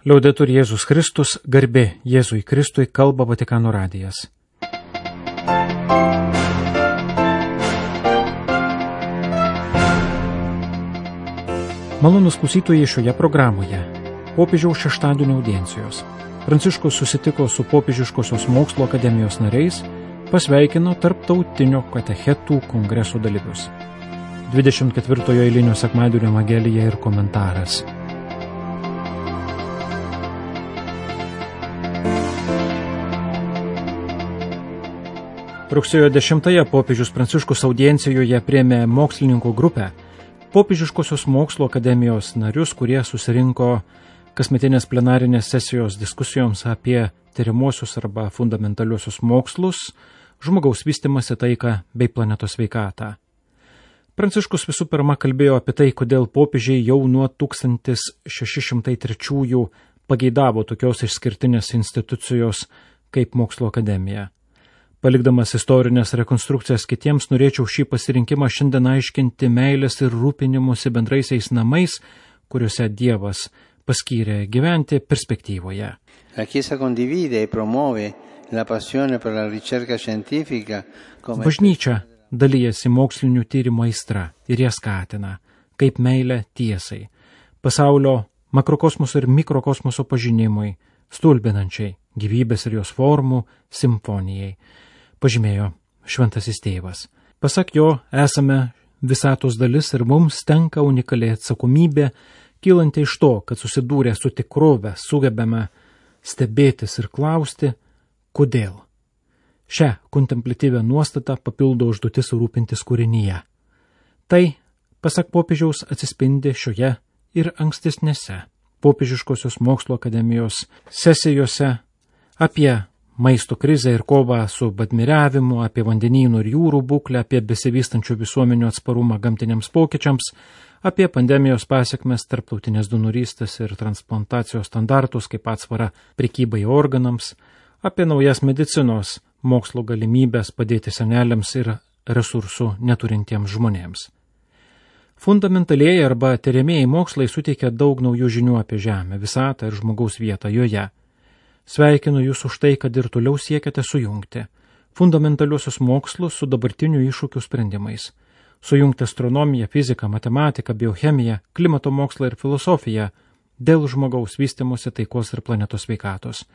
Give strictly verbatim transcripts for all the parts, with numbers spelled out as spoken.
Liaudetur Jėzus Kristus, garbė Jėzui Kristui, kalba Vatikano radijas. Malonūs klausytojai, šioje programoje popiežiaus šeštadienio audiencijos. Pranciškus susitiko su Popiežiškosios mokslo akademijos nariais, pasveikino tarptautinio katechetų kongreso dalyvius. dvidešimt ketvirtojo eilinio sekmadienio evangelija ir komentaras. Rugsėjo dešimtąją popiežius Pranciškus audiencijoje priėmė mokslininkų grupę, Popiežiškosios mokslo akademijos narius, kurie susirinko kasmetinės plenarinės sesijos diskusijoms apie tyrimuosius arba fundamentaliuosius mokslus, žmogaus vystymąsi, taiką bei planetos sveikatą. Pranciškus visų pirma kalbėjo apie tai, kodėl popiežiai jau nuo tūkstantis šeši šimtai trečiųjų pageidavo tokios išskirtinės institucijos kaip mokslo akademija. Palikdamas istorinės rekonstrukcijas kitiems, norėčiau šį pasirinkimą šiandien aiškinti meilės ir rūpinimusi bendraisiais namais, kuriuose Dievas paskyrė gyventi perspektyvoje. La Chiesa condivide e promuove la passione per la ricerca scientifica come... Bažnyčia dalyjasi mokslinių tyrimų aistra ir ją skatina, kaip meilę tiesai, pasaulio makrokosmoso ir mikrokosmoso pažinimui, stulbinančiai gyvybės ir jos formų simfonijai, pažymėjo šventasis tėvas. Pasak jo, esame visatos dalis ir mums tenka unikali atsakomybė, kylanti iš to, kad susidūrę su tikrove sugebame stebėtis ir klausti, kodėl. Šią kontemplatyvę nuostatą papildo užduotis rūpintis kūrinyje. Tai, pasak popiežiaus, atsispindi šioje ir ankstesnėse Popiežiškosios mokslo akademijos sesijose apie maisto krizę ir kovą su badmiriavimu, apie vandenynų ir jūrų būklę, apie besivystančių visuomenių atsparumą gamtiniams pokyčiams, apie pandemijos pasiekmes, tarptautinės donorystės ir transplantacijos standartus kaip atsvara prekybai organams, apie naujas medicinos mokslo galimybės padėti seneliams ir resursų neturintiems žmonėms. Fundamentaliai arba tyriamieji mokslai suteikia daug naujų žinių apie Žemę, visatą ir žmogaus vietą joje. Sveikinu jūs už tai, kad ir toliau siekiate sujungti fundamentaliuosius mokslus su dabartinių iššūkių sprendimais. Sujungti astronomiją, fiziką, matematiką, biochemiją, klimato mokslą ir filosofiją dėl žmogaus vystymosi, taikos ir planetos sveikatos.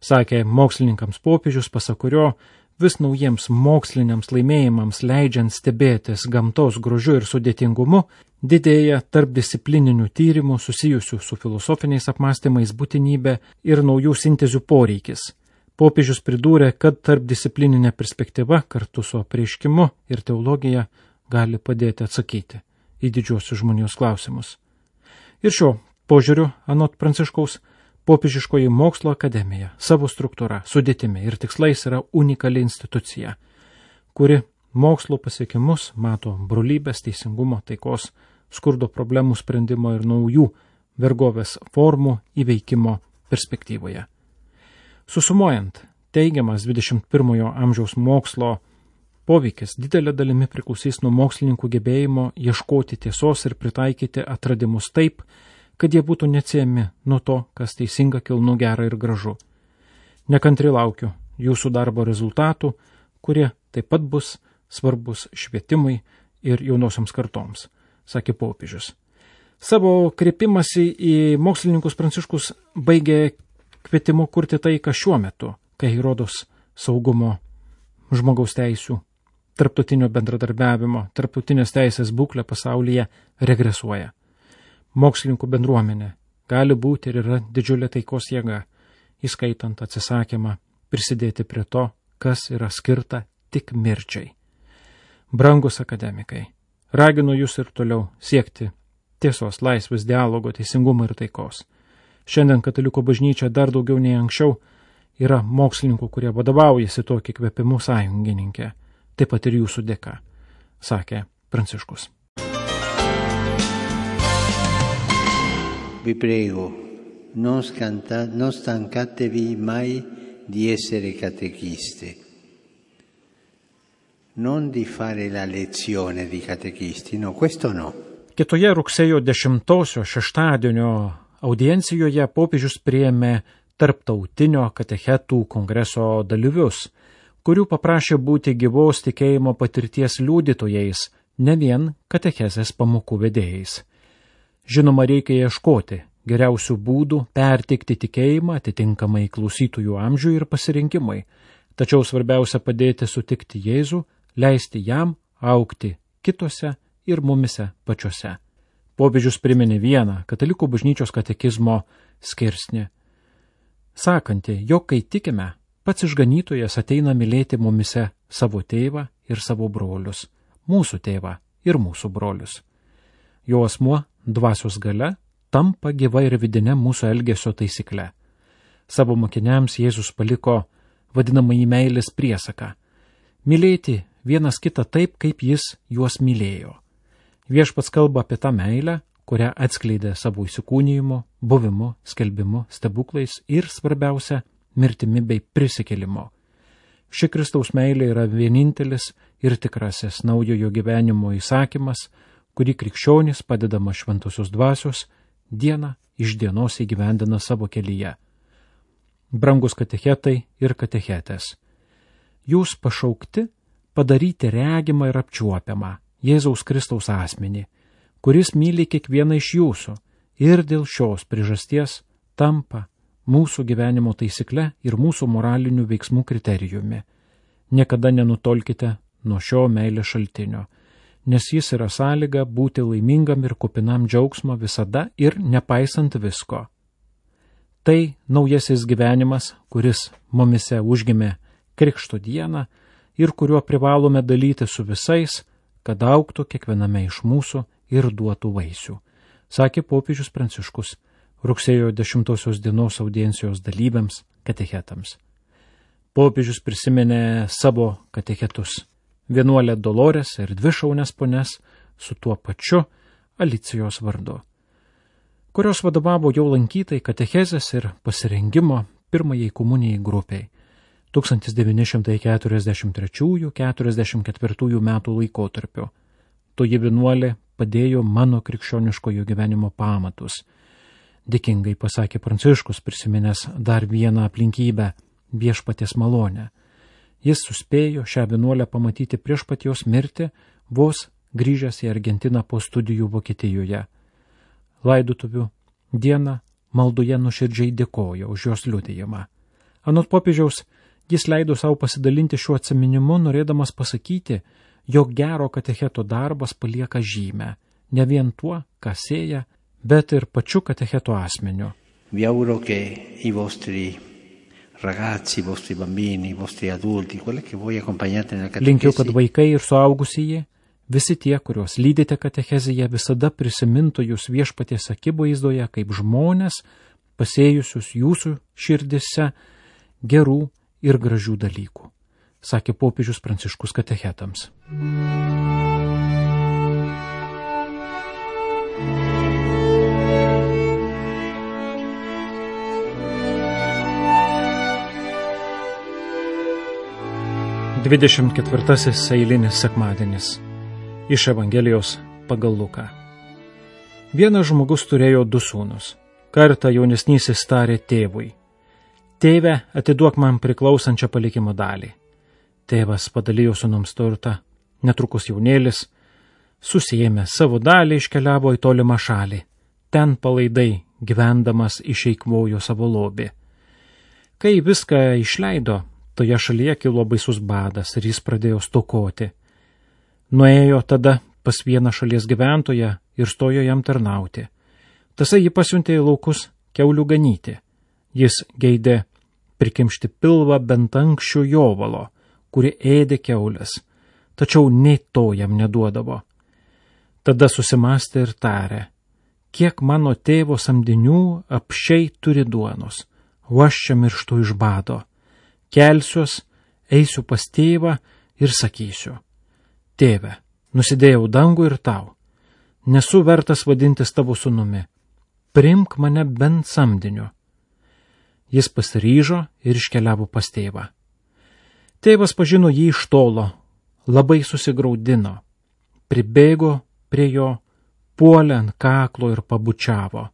Sakė mokslininkams popiežius, pasak kurio vis naujiems moksliniams laimėjimams leidžiant stebėtis gamtos grožiu ir sudėtingumu, didėja tarpdisciplininių tyrimų susijusių su filosofiniais apmąstymais būtinybė ir naujų sintezių poreikis. Popiežius pridūrė, kad tarpdisciplininė perspektyva kartu su apreiškimu ir teologija gali padėti atsakyti į didžiosius žmonijos klausimus. Ir šio požiūriu, anot Pranciškaus, Popiežiškoji mokslo akademija savo struktūra, sudėtimi ir tikslais yra unikali institucija, kuri mokslo pasiekimus mato brolybės, teisingumo, taikos, skurdo problemų sprendimo ir naujų vergovės formų įveikimo perspektyvoje. Susumuojant, teigiamas dvidešimt pirmojo amžiaus mokslo poveikis didelė dalimi priklausys nuo mokslininkų gebėjimo ieškoti tiesos ir pritaikyti atradimus taip, kad jie būtų neatsiejami nuo to, kas teisinga, kilnu, gera ir gražu. Nekantri laukiu jūsų darbo rezultatų, kurie taip pat bus svarbus švietimui ir jaunosioms kartoms, sakė popiežius. Savo kreipimąsi į mokslininkus Pranciškus baigė kvietimu kurti taiką šiuo metu, kai rodos saugumo, žmogaus teisių, tarptautinio bendradarbiavimo, tarptautinės teisės būklė pasaulyje regresuoja. Mokslininkų bendruomenė gali būti ir yra didžiulė taikos jėga, įskaitant atsisakymą prisidėti prie to, kas yra skirta tik mirčiai. Brangus akademikai, raginu jūs ir toliau siekti tiesos, laisvės, dialogo, teisingumo ir taikos. Šiandien katalikų bažnyčia dar daugiau nei anksčiau yra mokslininkų, kurie vadovaujasi tokį kvepimu sąjungininkė, taip pat ir jūsų dėka, sakė Pranciškus. Vi prego, non, scanta, non stancatevi mai di essere catechiste, non di fare la lezione di catechisti, no, questo no. Kitoje rugsėjo dešimtosios šeštadienio audiencijoje popiežius priėmė tarptautinio katechetų kongreso dalyvius, kurių paprašė būti gyvos tikėjimo patirties liudytojais, ne vien katechezės pamokų vedėjais. Žinoma, reikia ieškoti geriausių būdų perteikti tikėjimą atitinkamai klausytojų amžiui ir pasirinkimui, tačiau svarbiausia padėti sutikti Jėzų, leisti jam augti kitose ir mumise pačiose. Popiežius priminė vieną katalikų bažnyčios katekizmo skirsnį, sakanti, jog kai tikime, pats išganytojas ateina mylėti mumise savo tėvą ir savo brolius, mūsų tėvą ir mūsų brolius. Jo asmuo dvasios galia tampa gyva ir vidinė mūsų elgesio taisykle. Savo mokiniams Jėzus paliko vadinamąjį meilės priesaką – mylėti vienas kitą taip, kaip jis juos mylėjo. Viešpats kalba apie tą meilę, kurią atskleidė savo įsikūnijimu, buvimu, skelbimu, stebuklais ir, svarbiausia, mirtimi bei prisikėlimu. Ši Kristaus meilė yra vienintelis ir tikrasis naujojo gyvenimo įsakymas, kurį krikščionys, padedama šventosios dvasios, dieną iš dienos įgyvendina savo kelyje. Brangus katechetai ir katechetės, jūs pašaukti padaryti regimą ir apčiuopiamą Jėzaus Kristaus asmenį, kuris myli kiekvieną iš jūsų ir dėl šios priežasties tampa mūsų gyvenimo taisykle ir mūsų moralinių veiksmų kriterijumi. Niekada nenutolkite nuo šio meilės šaltinio, nes jis yra sąlyga būti laimingam ir kupinam džiaugsmo visada ir nepaisant visko. Tai naujasis gyvenimas, kuris mumise užgimė Krikšto dieną ir kuriuo privalome dalyti su visais, kad augtų kiekviename iš mūsų ir duotų vaisių, sakė popiežius Pranciškus rugsėjo dešimtosios dienos audiencijos dalyviams katechetams. Popiežius prisiminė savo katechetus, vienuolę Dolores ir dvi šaunias ponias su tuo pačiu Alicijos vardu, kurios vadovavo jau lankytai katechezės ir pasirengimo pirmajai komunijai grupiai tūkstantis devyni šimtai keturiasdešimt trečiųjų - keturiasdešimt ketvirtųjų metų laikotarpiu. Toji vienuolė padėjo mano krikščioniškojo gyvenimo pamatus. Dėkingai pasakė Pranciškus, prisiminęs dar vieną aplinkybę – viešpaties malonę. Jis suspėjo šią vienuolę pamatyti prieš pat jos mirtį, vos grįžęs į Argentiną po studijų Vokietijoje. Laidotuvių dieną maldoje nuoširdžiai dėkojo už jos liudijimą. Anot popiežiaus, jis leido savo pasidalinti šiuo atsiminimu, norėdamas pasakyti, jog gero katecheto darbas palieka žymę, ne vien tuo, ką sėja, bet ir pačiu katecheto asmeniu. Vi auguro che i vostri ragazzi, i vostri bambini, i vostri adulti, quelli che voi accompagnate nella catechesi. Linkiu, kad vaikai ir suaugusieji, visi tie, kuriuos lydite katecheziją, visada prisimintų jūs viešpaties akivaizdoje kaip žmonės, pasėjusius jūsų širdise gerų ir gražių dalykų, sakė popiežius Pranciškus katechetams. Dvidešimt ketvirtasis eilinis sekmadienis. Iš Evangelijos pagal Luką. Vienas žmogus turėjo du sūnus. Kartą jaunesnysis tarė tėvui: Tėve, atiduok man priklausančią palikimo dalį. Tėvas padalijo sūnums turtą. Netrukus jaunėlis, susiėmė savo dalį, iškeliavo į tolimą šalį. Ten palaidai, gyvendamas, išeikvojo savo lobį. Kai viską išleido, toje šalyje kilo baisus badas ir jis pradėjo stokoti. Nuėjo tada pas vieną šalies gyventoją ir stojo jam tarnauti. Tasai jį pasiuntė į laukus kiaulių ganyti. Jis geidė prikimšti pilvą bent anksčiau jovalo, kuri ėdė kiaulės, tačiau nei to jam neduodavo. Tada susimastė ir tarė: kiek mano tėvo samdinių apsčiai turi duonos, o aš čia mirštu iš bado. Kelsiuos, eisiu pas tėvą ir sakysiu: Tėve, nusidėjau dangų ir tau, nesu vertas vadintis tavo sūnumi, priimk mane bent samdiniu. Jis pasiryžo ir iškeliavo pas tėvą. Tėvas pažino jį iš tolo, labai susigraudino, pribėgo prie jo, puolė ant kaklo ir pabučiavo.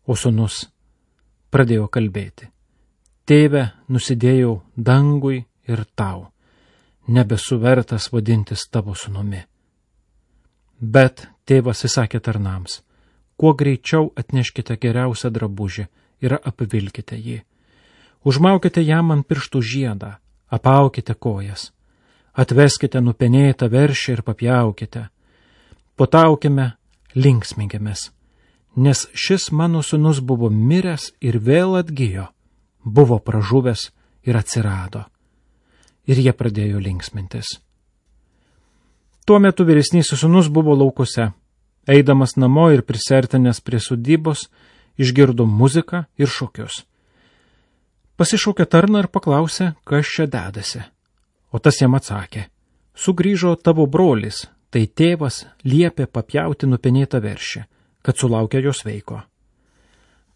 O sūnus pradėjo kalbėti: Tėve, nusidėjau dangui ir tau, nebesu vertas vadintis tavo sūnumi. Bet tėvas įsakė tarnams: kuo greičiau atneškite geriausią drabužį ir apvilkite jį. Užmaukite jam ant pirštų žiedą, apaukite kojas, atveskite nupenėtą veršį ir papjaukite. Potaukime, linksminkimės, nes šis mano sūnus buvo miręs ir vėl atgijo, buvo pražuvęs ir atsirado. Ir jie pradėjo linksmintis. Tuo metu vyresnysis sūnus buvo laukuose. Eidamas namo ir prisertinęs prie sodybos, išgirdo muziką ir šokius. Pasišaukė tarną ir paklausė, kas čia dedasi. O tas jam atsakė: sugrįžo tavo brolis, tai tėvas liepė papjauti nupenėtą veršį, kad sulaukia jo sveiko.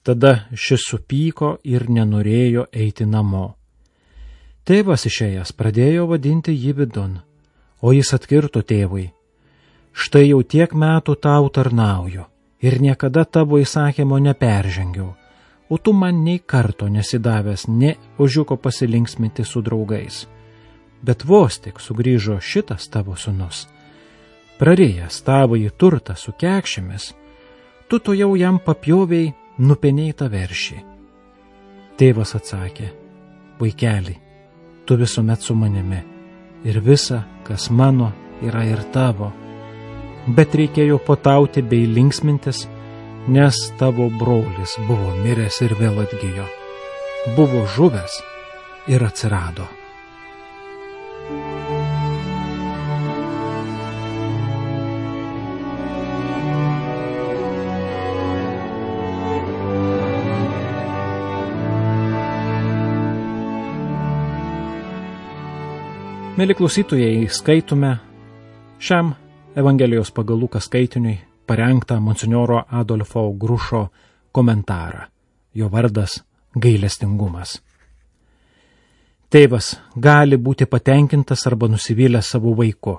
Tada šis supyko ir nenorėjo eiti namo. Tėvas išėjęs pradėjo vadinti jį vidun, o jis atkirto tėvui: štai jau tiek metų tau tarnauju ir niekada tavo įsakymo neperžengiau, o tu man nei karto nesidavęs ne ožiuko pasilinksminti su draugais. Bet vos tik sugrįžo šitas tavo sūnus, prarijęs tavąjį turtą su kekšėmis, tu to jau jam papjoviai nupenėtą veršį. Tėvas atsakė: vaikeli, tu visuomet su manimi, ir visa, kas mano, yra ir tavo. Bet reikėjo potauti bei linksmintis, nes tavo brolis buvo miręs ir vėl atgijo, buvo žuvęs ir atsirado. Mėly klausytojai, skaitome šiam Evangelijos pagal Luką skaitiniui parengtą monsinjoro Adolfo Grušo komentarą. Jo vardas gailestingumas. Tėvas gali būti patenkintas arba nusivylęs savo vaiku.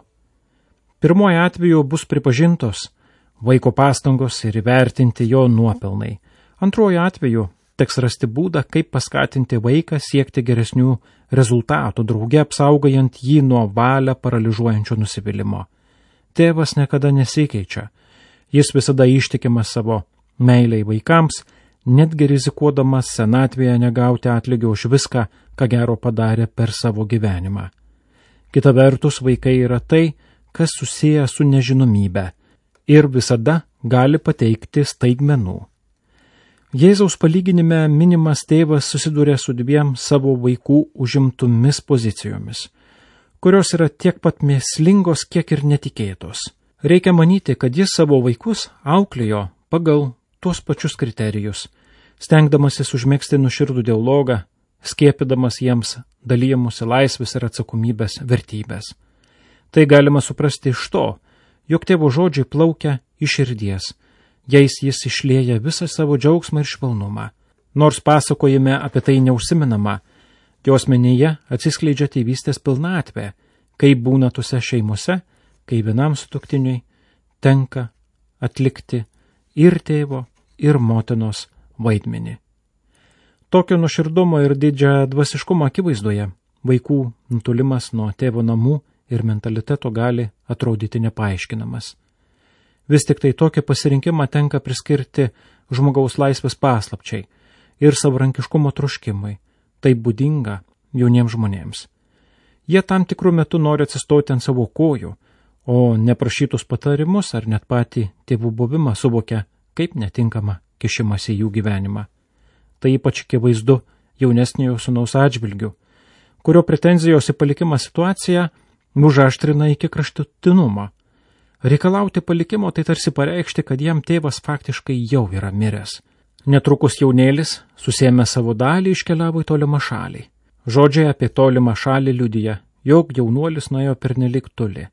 Pirmoju atveju bus pripažintos vaiko pastangos ir įvertinti jo nuopelnai. Antruoju atveju teks rasti būdą, kaip paskatinti vaiką siekti geresnių rezultatų, drauge apsaugojant jį nuo valią paralyžiuojančio nusivylimo. Tėvas niekada nesikeičia. Jis visada ištikimas savo meiliai vaikams, netgi rizikuodamas senatvėje negauti atlygio už viską, ką gero padarė per savo gyvenimą. Kita vertus, vaikai yra tai, kas susiję su nežinomybe ir visada gali pateikti staigmenų. Jėzaus palyginime minimas tėvas susiduria su dviem savo vaikų užimtomis pozicijomis, kurios yra tiek pat mėslingos, kiek ir netikėtos. Reikia manyti, kad jis savo vaikus auklėjo pagal tuos pačius kriterijus, stengdamasis užmegzti nuoširdų dialogą, skiepydamas jiems dalyjamusi laisvės ir atsakomybės vertybės. Tai galima suprasti iš to, jog tėvo žodžiai plaukia iš širdies, jais jis išlieja visą savo džiaugsmą ir švelnumą. Nors pasakojime apie tai neužsimenama, jo asmenyje atsiskleidžia tėvystės pilnatvė, kaip būna tose šeimose, kai vienam sutuoktiniui tenka atlikti ir tėvo, ir motinos vaidmenį. Tokio nuoširdumo ir didžią dvasiškumo akivaizdoje vaikų nutulimas nuo tėvo namų ir mentaliteto gali atrodyti nepaaiškinamas. Vis tik tai tokį pasirinkimą tenka priskirti žmogaus laisvės paslapčiai ir savarankiškumo troškimui. Tai būdinga jauniems žmonėms. Jie tam tikrų metų nori atsistoti ant savo kojų, o neprašytus patarimus ar net patį tėvų buvimą suvokia kaip netinkamą kišimąsi į jų gyvenimą. Tai ypač akivaizdu jaunesniojo sūnaus atžvilgiu, kurio pretenzijos į palikimą situaciją užaštrina iki kraštutinumo. Reikalauti palikimo tai tarsi pareikšti, kad jam tėvas faktiškai jau yra miręs. Netrukus jaunėlis, susėmė savo dalį, iškeliavo į tolimą šalį. Žodžiai apie tolimą šalį liudija, jog jaunuolis nuėjo pernelik toli,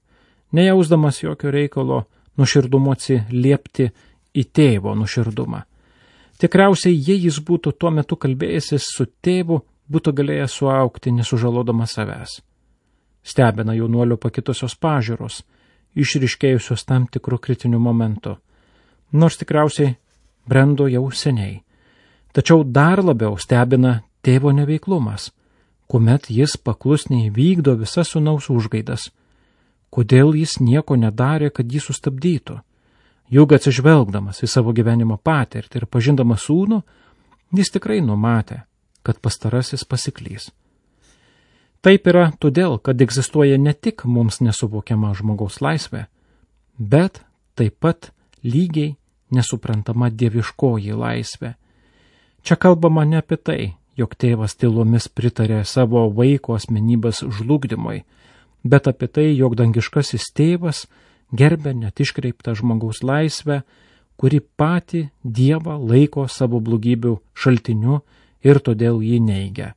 nejausdamas jokio reikalo nuoširdumo atsiliepti į tėvo nuoširdumą. Tikriausiai, jei jis būtų tuo metu kalbėjęsis su tėvu, būtų galėjęs suaugti nesužalodamas savęs. Stebina jaunuolio pakitusios pažiūros, išryškėjusios tam tikrų kritinių momentų. Nors tikriausiai brendo jau seniai, Tačiau dar labiau stebina tėvo neveiklumas, kuomet jis paklusniai vykdo visas sūnaus užgaidas. Kodėl jis nieko nedarė, kad jį sustabdytų? Juk atsižvelgdamas į savo gyvenimo patirtį ir pažindamas sūnų, jis tikrai numatė, kad pastarasis pasiklys. Taip yra todėl, kad egzistuoja ne tik mums nesuvokiama žmogaus laisvė, bet taip pat lygiai nesuprantama dieviškoji laisvė. Čia kalbama ne apie tai, jog tėvas tylomis pritarė savo vaiko asmenybės žlugdymui, bet apie tai, jog dangiškasis tėvas gerbė net iškreiptą žmogaus laisvę, kuri patį Dievą laiko savo blogybių šaltiniu ir todėl jį neigia.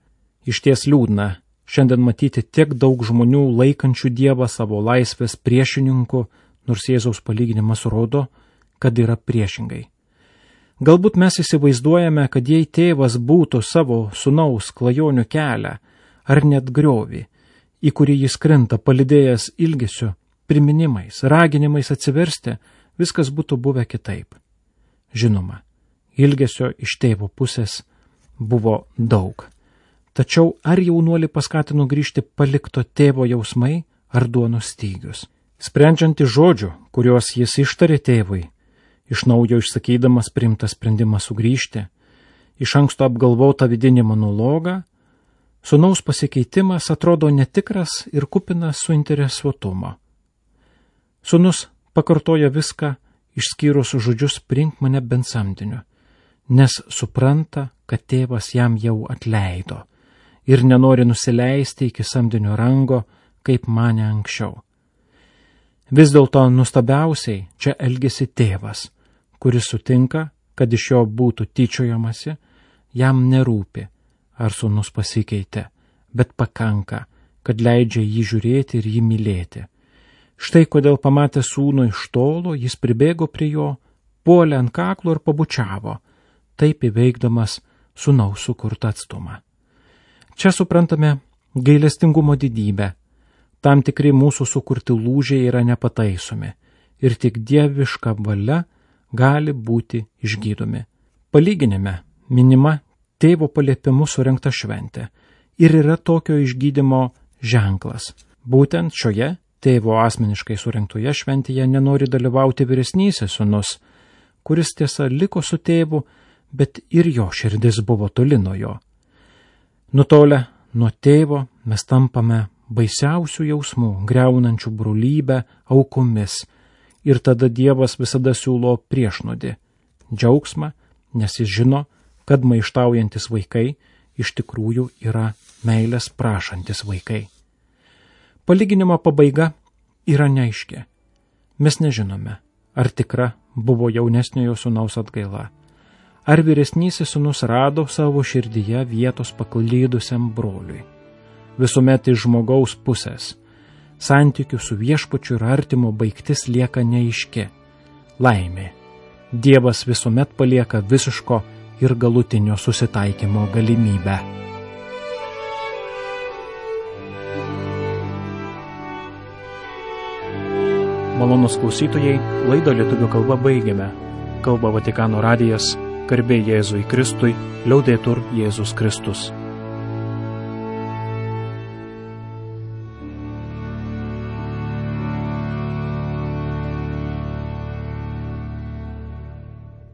Išties liūdna šiandien matyti tiek daug žmonių laikančių Dievą savo laisvės priešininku, nors Jėzaus palyginimas rodo, kad yra priešingai. Galbūt mes įsivaizduojame, kad jei tėvas būtų savo sūnaus klajonių kelią, ar net griovį, į kurį jis krinta palydėjęs ilgesiu, priminimais, raginimais atsiversti, viskas būtų buvę kitaip. Žinoma, ilgesio iš tėvo pusės buvo daug. Tačiau ar jaunuolį paskatino grįžti palikto tėvo jausmai ar duonos stygius? Sprendžiant iš žodžių, kuriuos jis ištarė tėvui, iš naujo išsakydamas priimtą sprendimą sugrįžti, iš anksto apgalvotą vidinį monologą, sūnaus pasikeitimas atrodo netikras ir kupinas suinteresuotumo. Sūnus pakartoja viską, išskyrus žodžius priimk mane bent samdiniu, nes supranta, kad tėvas jam jau atleido ir nenori nusileisti iki samdinio rango, kaip mane anksčiau. Vis dėlto nustabiausiai čia elgesi tėvas, kuris sutinka, kad iš jo būtų tyčiojamasi, jam nerūpi, ar sūnus pasikeitė, bet pakanka, kad leidžia jį žiūrėti ir jį mylėti. Štai kodėl pamatę sūnų iš tolo, jis pribėgo prie jo, puolė ant kaklo ir pabučiavo, taip įveikdamas sūnaus sukurtą atstumą. Čia suprantame gailestingumo didybę. Tam tikri mūsų sukurti lūžiai yra nepataisomi ir tik dieviška valia gali būti išgydomi. Palyginime minima tėvo paliepimu surengta šventė ir yra tokio išgydymo ženklas. Būtent šioje tėvo asmeniškai surengtoje šventėje nenori dalyvauti vyresnysis sūnus, kuris tiesa liko su tėvu, bet ir jo širdis buvo toli nuo jo. Nutolę nuo tėvo mes tampame baisiausių jausmų, greunančių brolybę, aukomis, ir tada Dievas visada siūlo priešnodį, džiaugsmą, nes jis žino, kad maištaujantis vaikai iš tikrųjų yra meilės prašantis vaikai. Palyginimo pabaiga yra neaiški. Mes nežinome, ar tikra buvo jaunesniojo sūnaus atgaila, ar vyresnysis sūnus rado savo širdyje vietos paklydusiam broliui. Visuomet iš žmogaus pusės. Santykių su viešpačiu ir artimo baigtis lieka neaiški. Laimė. Dievas visuomet palieka visiško ir galutinio susitaikymo galimybę. Malonūs klausytojai, laidą lietuvių kalba baigiame. Kalba Vatikano radijas, garbė Jėzui Kristui, liaudetur Jėzus Kristus.